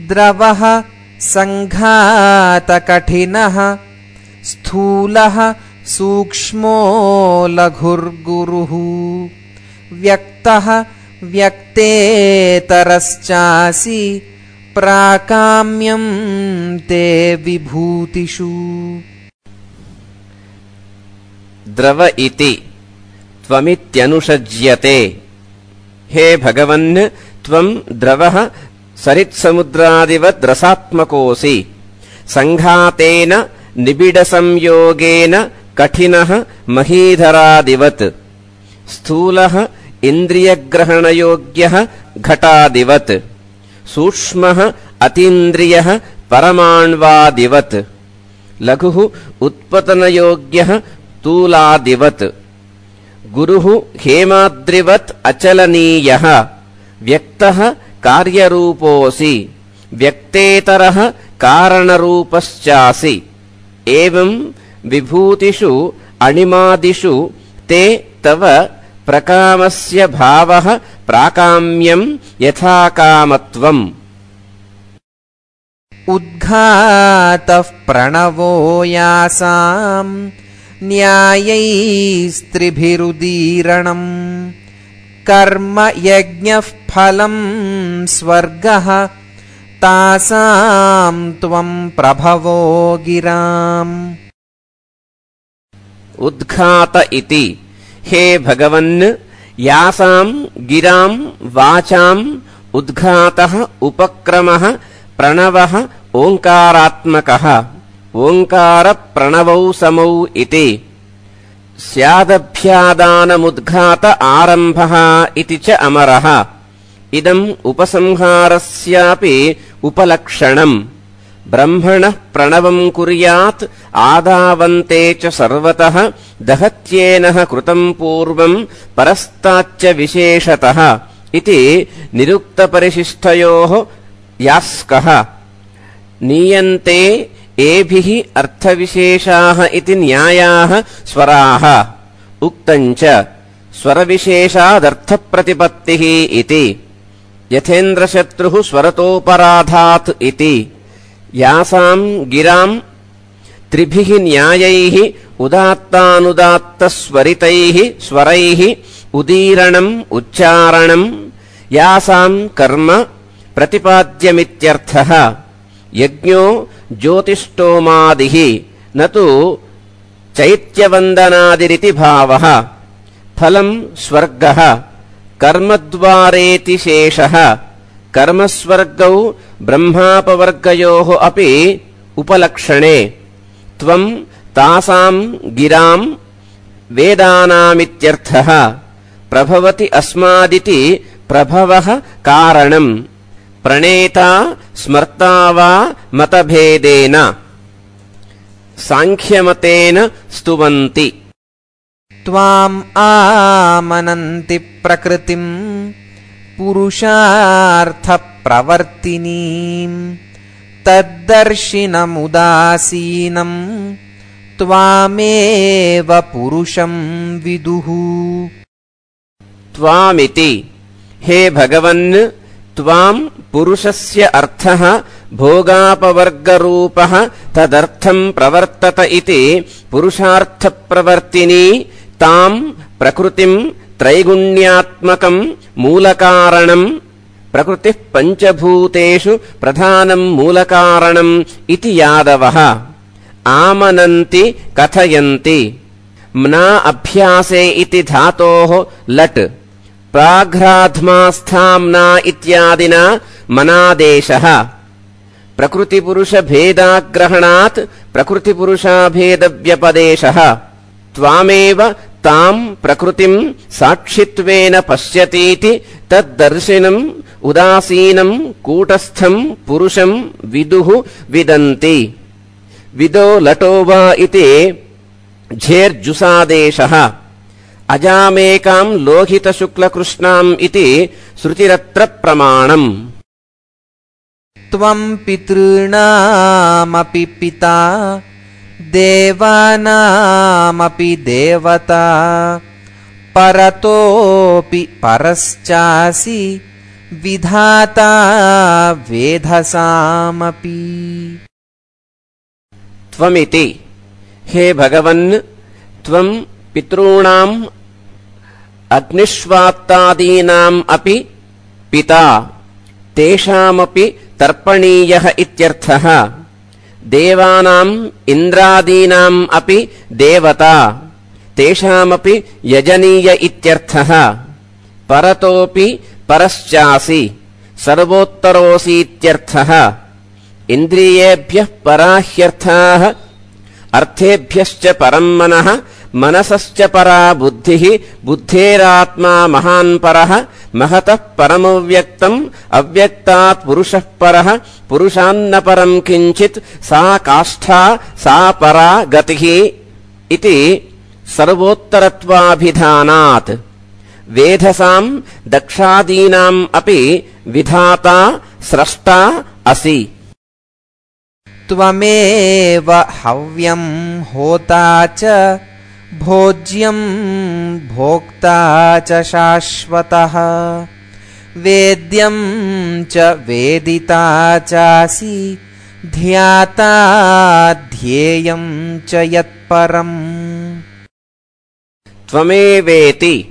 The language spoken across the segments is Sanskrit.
द्रवः सङ्घातकठिनः स्थूलः सूक्ष्मो लघुर्गुरुः व्यक्तः व्यक्तेतरश्चासि प्राकाम्यं ते विभूतिषु। द्रव इति त्वमित्यनुषज्यते। हे भगवन्, त्वं द्रवः सरित्समुद्रादिवद् रसात्मकोऽसि। सङ्घातेन निबिडसंयोगेन कठिनः महीधरादिवत्। स्थूलः इन्द्रियग्रहणयोग्यः घटादिवत्। सूक्ष्मः अतीन्द्रियः परमाण्वादिवत्। लघुः उत्पतनयोग्यः तूलादिवत्। गुरुः हेमाद्रिवत् अचलनीयः। व्यक्तः कार्यरूपोऽसि। व्यक्तेतरः कारणरूपश्चासि। एवं विभूतिषु अणिमादिषु ते तव प्रकामस्य भावः प्राकाम्यं यथाकामत्वम्। उद्घातः प्रणवो यासाम् न्यायैस्त्रिभिरुदीरणम्। कर्म यज्ञः फलं स्वर्गः तासां त्वं प्रभवो गिराम्। उद्घात इति हे भगवन्, यासां गिरां वाचाम् उद्घातः उपक्रमः प्रणवः ओङ्कारात्मकः। ओङ्कारप्रणवौ समौ इति। स्यादभ्यादानमुद्घात आरम्भः इति च अमरः। इदम् उपसंहारस्यापि उपलक्षणम्। ब्रह्मणः प्रणवम् कुर्यात् आदावन्ते च सर्वतः। दहत्येनः कृतम् पूर्वम् परस्ताच्च विशेषतः इति निरुक्तपरिशिष्टयोः यास्कः। नीयन्ते एभिः अर्थविशेषाः इति न्यायाः स्वराः। उक्तञ्च स्वरविशेषादर्थप्रतिपत्तिः इति। यथेन्द्रशत्रुः स्वरतोपराधात् इति। यासां गिरां त्रिभिः न्यायैः उदात्तानुदात्तस्वरितैः स्वरैः उदीरणम् उच्चारणम्। यासां कर्म प्रतिपाद्यमित्यर्थः। यज्ञो ज्योतिष्टोमादिः न तु चैत्यवन्दनादिरिति भावः। फलम् स्वर्गः कर्मद्वारेति शेषः। कर्मस्वर्गौ ब्रह्मापवर्गयोः अपि उपलक्षणे। त्वम् तासां गिरां वेदानामित्यर्थः। प्रभवति अस्मादिति प्रभवः कारणम्। प्रणेता स्मर्ता वा मतभेदेन। सांख्यमतेन स्तुवन्ति। त्वाम् आमनन्ति प्रकृतिम् पुरुषार्थप्रवर्तिनीम्। तद्दर्शिनमुदासीनम् त्वामेव पुरुषं विदुः। त्वामिति हे भगवन्, त्वाम् पुरुषस्य अर्थः भोगापवर्गरूपः तदर्थम् प्रवर्तत इति पुरुषार्थप्रवर्तिनी ताम् प्रकृतिम् त्रैगुण्यात्मकम् मूलकारणम्। प्रकृतिः पञ्चभूतेषु प्रधानम् मूलकारणम् इति यादवः आमनन्ति कथयन्ति। म्ना अभ्यासे इति धातोः लट् प्राघ्राध्मास्थाम्ना इत्यादिना मनादेशः। प्रकृतिपुरुषभेदाग्रहणात् प्रकृतिपुरुषाभेदव्यपदेशः। त्वामेव ताम् प्रकृतिम् साक्षित्वेन पश्यतीति तद्दर्शिनम् उदासीनम् कूटस्थम् पुरुषम् विदुः विदन्ति। विदो लटो वा इति झेर्जुसादेशः। अजामेकाम् लोहितशुक्लकृष्णाम् इति श्रुतिरत्र प्रमाणम्। त्वम् पितॄणामपि पिता देवानामपि देवता। परतोऽपि परश्चासि विधाता वेधसामपि। त्वमिति हे भगवन् त्वं पितॄणाम् अग्निष्वात्तादीनाम् अपि पिता तेषामपि तर्पणीयः इत्यर्थः। देवानाम् इन्द्रादीनाम् अपि देवता तेषामपि यजनीय इत्यर्थः। परतोऽपि परश्चासि सर्वोत्तरोऽसीत्यर्थः। इन्द्रियेभ्यः पराह्यर्थाः अर्थेभ्यश्च परम् मनः मनसश्च परा बुद्धिः बुद्धेरात्मा महान् परः महतः परमव्यक्तम् अव्यक्तात् पुरुषः परः पुरुषान्न परम् किञ्चित् सा काष्ठा सा परा गतिः इति सर्वोत्तरत्वाभिधानात्। वेधसाम् दक्षादीनाम् अपि विधाता स्रष्टा असि। त्वमेव हव्यम् होता च भोज्यम् भोक्ता च शाश्वतः वेद्यम् च वेदिता चासि ध्याता ध्येयम् च यत्परम्। त्वमेवेति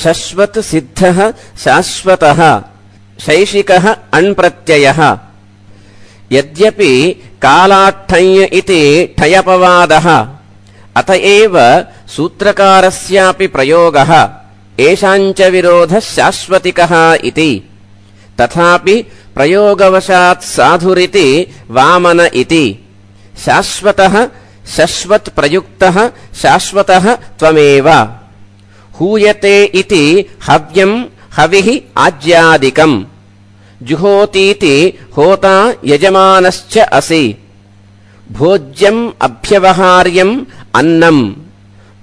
शश्वत् सिद्धः शाश्वतः शैशिकः अण्प्रत्ययः। यद्यपि कालाट्ठञ् इति ठयपवादः अत एव सूत्रकारस्यापि प्रयोगः एषाञ्च विरोधः शाश्वतिकः इति। तथापि प्रयोगवशात् साधुरिति वामन इति। शाश्वतः शश्वत् प्रयुक्तः शाश्वतः त्वमेव। हूयते इति हव्यम् हविः आज्यादिकम्। जुहोतीति होता यजमानश्च असि। भोज्यम् अभ्यवहार्यम् अन्नम्।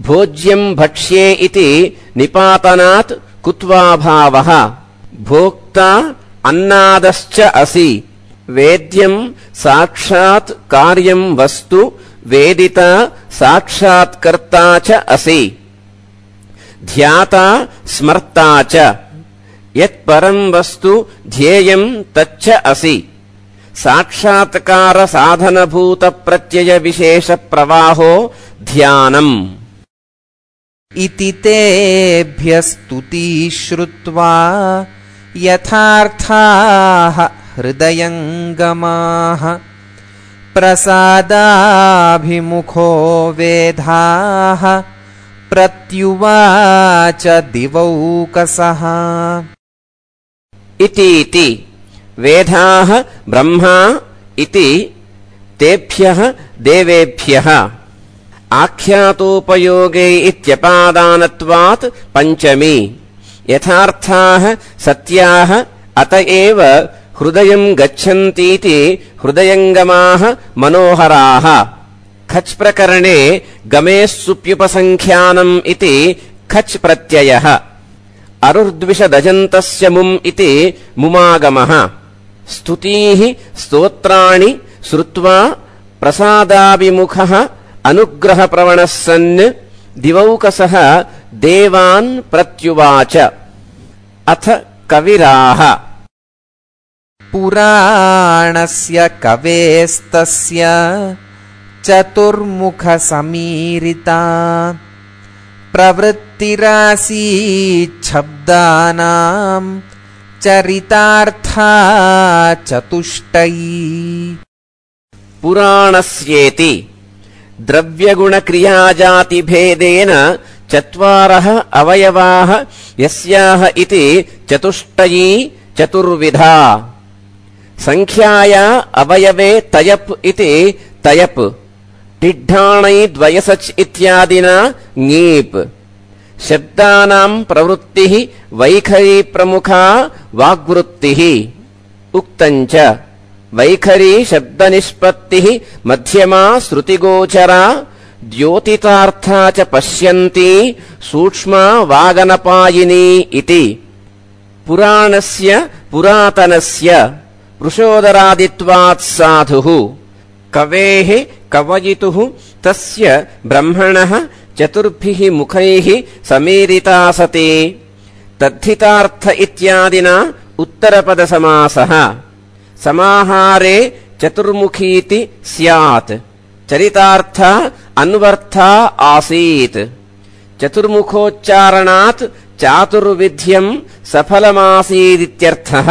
भोज्यम् भक्ष्ये इति निपातनात् कुत्वाभावः। भोक्ता अन्नादश्च असि। वेद्यम् साक्षात् कार्यम् वस्तु वेदिता साक्षात्कर्ता च असि। ध्याता स्मर्ता च यत्परम् वस्तु ध्येयम् तच्च असि। साक्षात्कार साधनभूत प्रत्यय विशेष प्रवाहो ध्यानम्। इति तेभ्यस्तुति श्रुत्वा यथार्थाः हृदयङ्गमाः प्रसादाभिमुखो वेधाः प्रत्युवाच दिवौकसः। इतीति वेधाः ब्रह्मा इति तेभ्यः देवेभ्यः। आख्यातोपयोगे इत्यपादानत्वात् पञ्चमी। यथार्थाः सत्याः अत एव हृदयम् गच्छन्तीति हृदयङ्गमाः मनोहराः। खच् प्रकरणे गमेः सुप्युपसङ्ख्यानम् इति खच् प्रत्ययः। अरुर्द्विषदजन्तस्य मुम् इति मुमागमः। स्तुतीः स्तोत्राणि श्रुत्वा प्रसादाभिमुखः अनुग्रहप्रवणः सन् दिवौकसः देवान् प्रत्युवाच। अथ कविराः। पुराणस्य कवेस्तस्य चतुर्मुखसमीरिता प्रवृत्तिरासीच्छब्दानाम् चरितार्था चतुष्टयी। पुराणस्येति द्रव्यगुणक्रियाजातिभेदेन चत्वारः अवयवाः यस्याः इति चतुष्टयी चतुर्विधा। संख्याया अवयवे तयप् इति तयप् टिड्ढाणै द्वयसच् इत्यादिना ङीप्। शब्दानाम् प्रवृत्तिः वैखरी प्रमुखा वाग्वृत्तिः। उक्तम् च वैखरी शब्दनिष्पत्तिः मध्यमा श्रुतिगोचरा द्योतितार्था च पश्यन्ती सूक्ष्मा वागनपायिनी इति। पुराणस्य पुरातनस्य वृषोदरादित्वात् साधुः। कवेः कवयितुः तस्य ब्रह्मणः चतुर्भिः मुखैः समीरिता सति। तद्धितार्थ इत्यादिना उत्तरपदसमासः समाहारे चतुर्मुखीति स्यात् चरितार्थ अन्वर्था आसीत् चतुर्मुखोच्चारणात् चातुर्विध्यं सफलमासीदित्यर्थः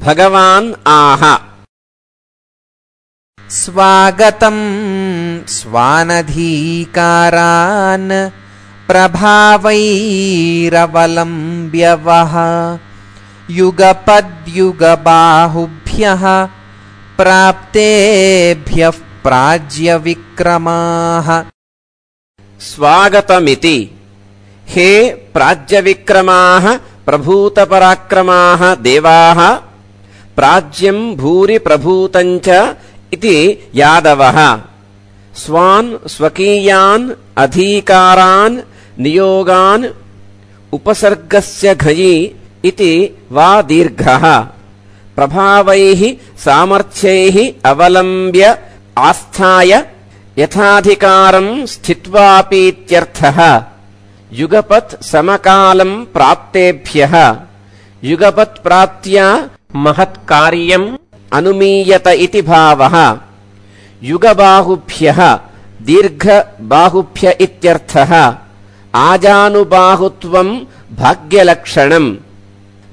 भगवान् आह स्वागतं स्वानधीकारान् प्रभावैरवलम्ब्य वः युगपद्युगबाहुभ्यः प्राप्तेभ्यः प्राज्यविक्रमाः स्वागतमिति हे प्राज्यविक्रमाः प्रभूतपराक्रमाः देवाः प्राज्यं भूरि प्रभूतञ्च इति यादवः स्वान् स्वकीयान् अधीकारान् नियोगान् उपसर्गस्य घयि इति वा दीर्घः प्रभावैः सामर्थ्यैः अवलम्ब्य आस्थाय यथाधिकारं स्थित्वापीत्यर्थः युगपत् समकालं प्राप्तेभ्यः युगपत्प्राप्त्या महत्कार्यम् अनुमीयत इति भावः युगबाहुभ्यः दीर्घबाहुभ्य इत्यर्थः आजानुबाहुत्वं भाग्यलक्षणम्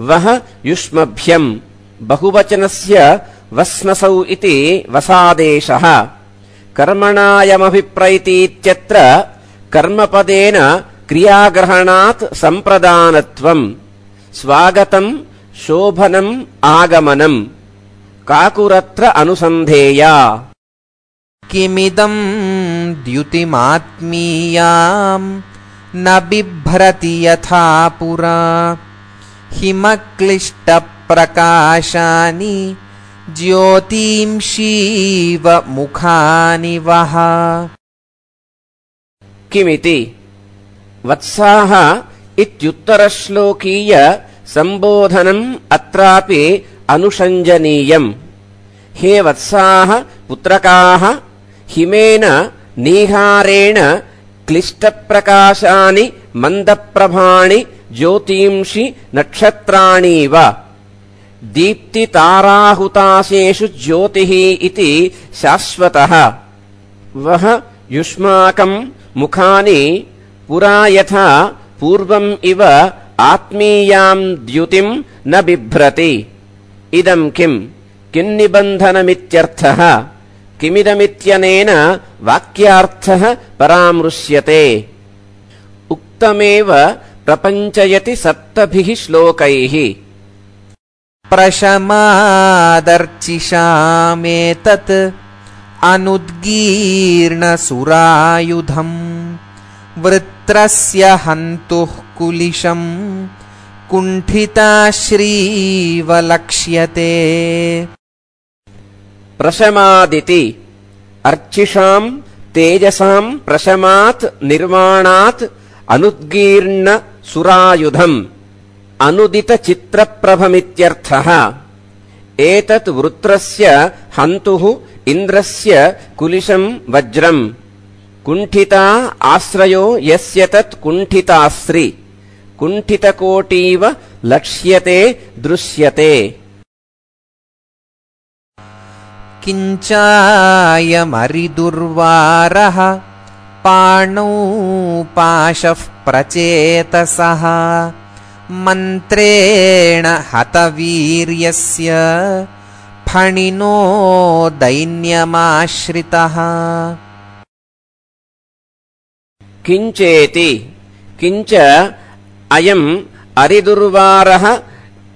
वः युष्मभ्यं बहुवचनस्य वस्नसौ इति वसादेशः कर्मणायमभिप्रैतीत्यत्र कर्मपदेन क्रियाग्रहणात् सम्प्रदानत्वम् स्वागतम् शोभनम् आगमनम् काकुरत्र अनुसन्धेया किमिदं द्युतिमात्मीयां न बिभ्रति यथा पुरा हिमक्लिष्टप्रकाशानि ज्योतिंषीव मुखानि वः किमिति वत्साः इत्युत्तरश्लोकीय सम्बोधनम् अत्रापि अनुषञ्जनीयम् हे वत्साः पुत्रकाः हिमेन नीहारेण क्लिष्टप्रकाशानि मन्दप्रभाणि ज्योतींषि नक्षत्राणीव दीप्तिताराहुताशेषु ज्योतिः इति शाश्वतः वः युष्माकम् मुखानि पुरा यथा पूर्वम् इव आत्मीयाम् द्युतिम् न बिभ्रति इदम् किन्निबन्धनमित्यर्थः किमिदमित्यनेन वाक्यार्थः परामृश्यते उक्तमेव प्रपञ्चयति सप्तभिः श्लोकैः प्रशमादर्चिषामेतत् अनुद्गीर्णसुरायुधम् वृत्रस्य हन्तुः कुलिशम् कुण्ठिताश्रीवलक्ष्यते प्रशमादिति अर्चिषाम् तेजसाम् प्रशमात् निर्माणात् अनुद्गीर्ण सुरायुधम् अनुदितचित्रप्रभमित्यर्थः एतत् वृत्रस्य हन्तुः इन्द्रस्य कुलिशम् वज्रम् कुण्ठिता आश्रयो यस्य तत् कुण्ठितास्रि कुण्ठितकोटीव लक्ष्यते दृश्यते किञ्चायमरिदुर्वारः पाणौ पाशः प्रचेतसः मन्त्रेण हतवीर्यस्य फणिनो दैन्यमाश्रितः किञ्चेति किञ्च अयम् अरिदुर्वारः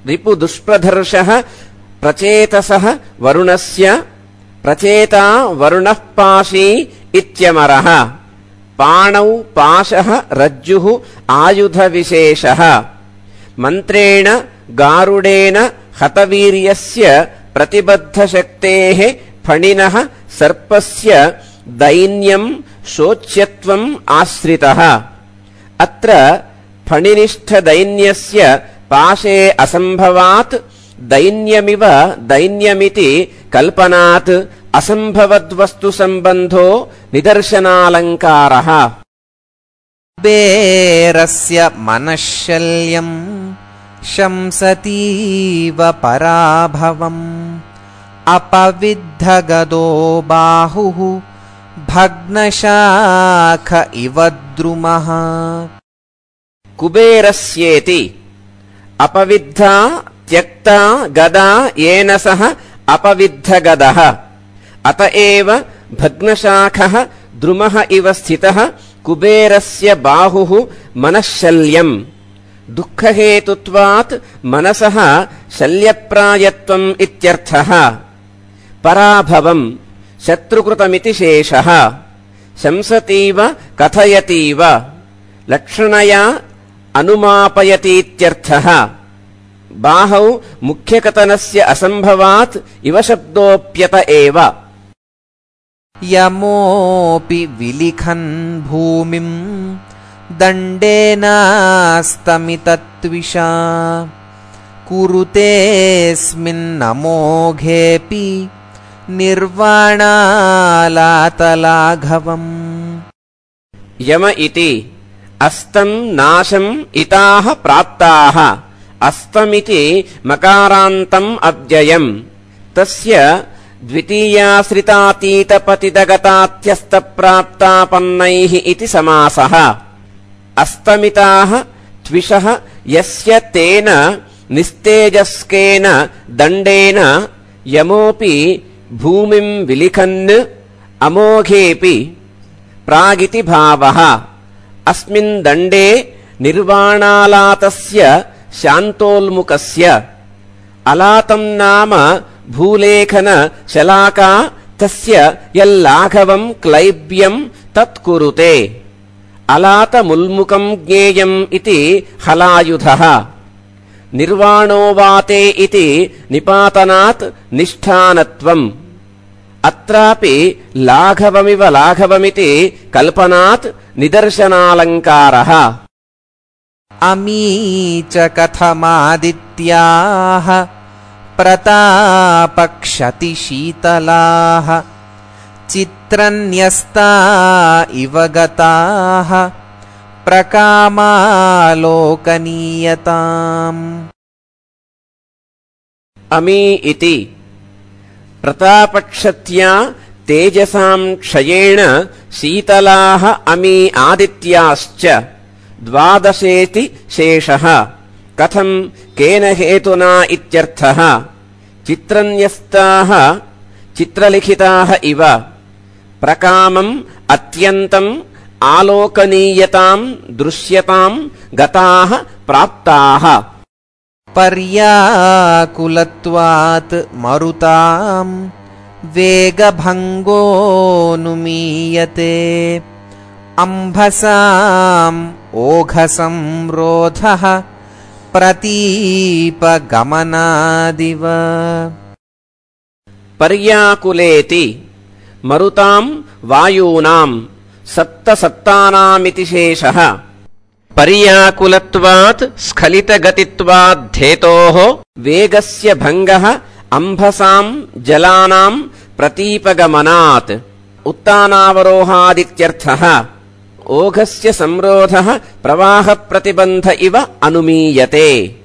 रिपुदुष्प्रधर्षः प्रचेतसः वरुणस्य प्रचेता वरुणः पाशी इत्यमरः पाणौ पाशः रज्जुः आयुधविशेषः मन्त्रेण गारुडेन हतवीर्यस्य प्रतिबद्धशक्तेः फणिनः सर्पस्य दैन्यम् शोच्यत्वम् आश्रितः अत्र फणिनिष्ठदैन्यस्य पाशे असम्भवात् दैन्यमिव दैन्यमिति कल्पनात् असम्भवद्वस्तुसम्बन्धो निदर्शनालङ्कारः कुबेरस्य मनःशल्यम् शंसतीव पराभवम् अपविद्धगदो बाहुः भग्नशाख इव द्रुमः। कुबेरस्येति अपविद्धा त्यक्ता गदा येन सह अपविद्धगदः अत एव भग्नशाखः द्रुमः इव स्थितः कुबेरस्य बाहुः मनःशल्यम् दुःखहेतुत्वात् मनसः शल्यप्रायत्वम् इत्यर्थः। पराभवम् शत्रुकृतमिति शेषः। शंसतीव कथयतीव लक्षणया अनुमापयतीत्यर्थः। बाहौ मुख्यकथनस्य असम्भवात् इव शब्दोऽप्यत एव। यमोऽपि विलिखन् भूमिम् दण्डेनास्तमितत्विषा कुरुतेऽस्मिन्नमोघेऽपि निर्वाणालातलाघवम्। यम इति अस्तम् नाशम् इताः प्राप्ताः। अस्तमिति मकारान्तम् अव्ययम् तस्य द्वितीयाश्रितातीतपतितगतात्यस्तप्राप्तापन्नैः इति समासः। अस्तमिताः त्विषः यस्य तेन निस्तेजस्केन दण्डेन यमोऽपि भूमिम् विलिखन् अमोघेऽपि प्रागिति भावः। अस्मिन् दण्डे निर्वाणालातस्य शान्तोल्मुखस्य अलातम् नाम भूलेखन शलाका तस्य यल्लाघवम् क्लैब्यम् तत्कुरुते। अलातमुल्मुखम् ज्ञेयम् इति हलायुधः। निर्वाणोवाते इति निपातनात् निष्ठानत्वम्। अत्रापि लाघवमिव लाघवमिति कल्पनात् निदर्शनालङ्कारः। अमी च कथमादित्याः प्रतापक्षतिशीतलाः चित्रन्यस्ता इव गताः प्रकामालोकनीयताम्। अमी इति प्रतापक्षत्या तेजसाम् क्षयेण शीतलाः अमी आदित्याश्च द्वादशेति शेषः। कथम् केन हेतुना इत्यर्थः। चित्रन्यस्ताः चित्रलिखिताः इव प्रकामम् अत्यन्तम् आलोकनीयताम् दृश्यताम् गताः प्राप्ताः। पर्याकुलत्वात् मरुताम् वेगभङ्गोऽनुमीयते अम्भसाम् ओघसंरोधः प्रतीपगमनादिव। पर्याकुलेति मरुताम् वायूनाम् सप्तसप्तानामिति शेषः। पर्याकुलत्वात् स्खलितगतित्वाद्धेतोः वेगस्य भङ्गः अम्भसाम् जलानाम् प्रतीपगमनात् उत्तानावरोहादित्यर्थः। ओघस्य संरोधः प्रवाहप्रतिबन्ध इव अनुमीयते।